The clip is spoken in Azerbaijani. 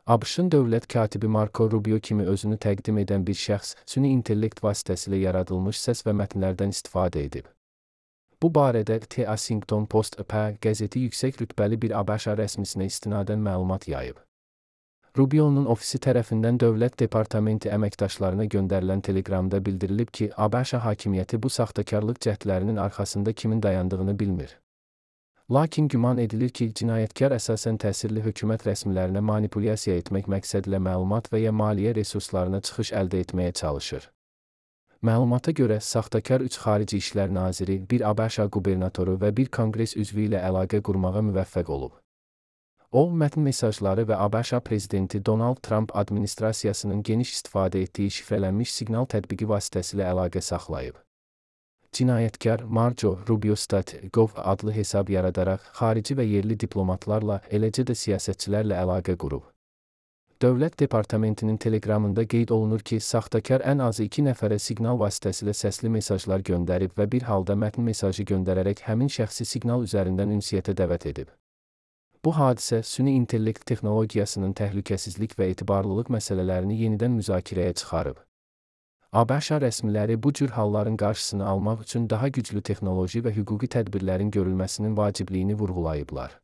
ABŞ-ın dövlət katibi Marco Rubio kimi özünü təqdim edən bir şəxs süni intellekt vasitəsilə yaradılmış səs və mətnlərdən istifadə edib. Bu barədə The Washington Post-P qəzeti yüksək rütbəli bir ABŞ rəsmisinə istinadən məlumat yayıb. Rubio'nun ofisi tərəfindən Dövlət Departamenti əməkdaşlarına göndərilən telegramda bildirilib ki, ABŞ hakimiyyəti bu saxtakarlıq cəhdlərinin arxasında kimin dayandığını bilmir. Lakin güman edilir ki, cinayətkar əsasən təsirli hökumət rəsmilərinə manipulyasiya etmək məqsədilə məlumat və ya maliyyə resurslarına çıxış əldə etməyə çalışır. Məlumata görə, saxtakar 3 xarici işlər naziri, bir ABŞ qubernatoru və bir konqres üzvü ilə əlaqə qurmağa müvəffəq olub. O, mətn mesajları və ABŞ prezidenti Donald Trump administrasiyasının geniş istifadə etdiyi şifrələnmiş siqnal tətbiqi vasitəsilə əlaqə saxlayıb. Cinayətkar Marco Rubio.gov adlı hesab yaradaraq xarici və yerli diplomatlarla, eləcə də siyasətçilərlə əlaqə qurub. Dövlət Departamentinin telegramında qeyd olunur ki, saxtakar ən azı 2 nəfərə siqnal vasitəsilə səsli mesajlar göndərib və bir halda mətn mesajı göndərərək həmin şəxsi siqnal üzərindən ünsiyyətə dəvət edib. Bu hadisə süni intellekt texnologiyasının təhlükəsizlik və etibarlılıq məsələlərini yenidən müzakirəyə çıxarıb. ABŞ rəsmiləri bu cür halların qarşısını almaq üçün daha güclü texnoloji və hüquqi tədbirlərin görülməsinin vacibliyini vurğulayıblar.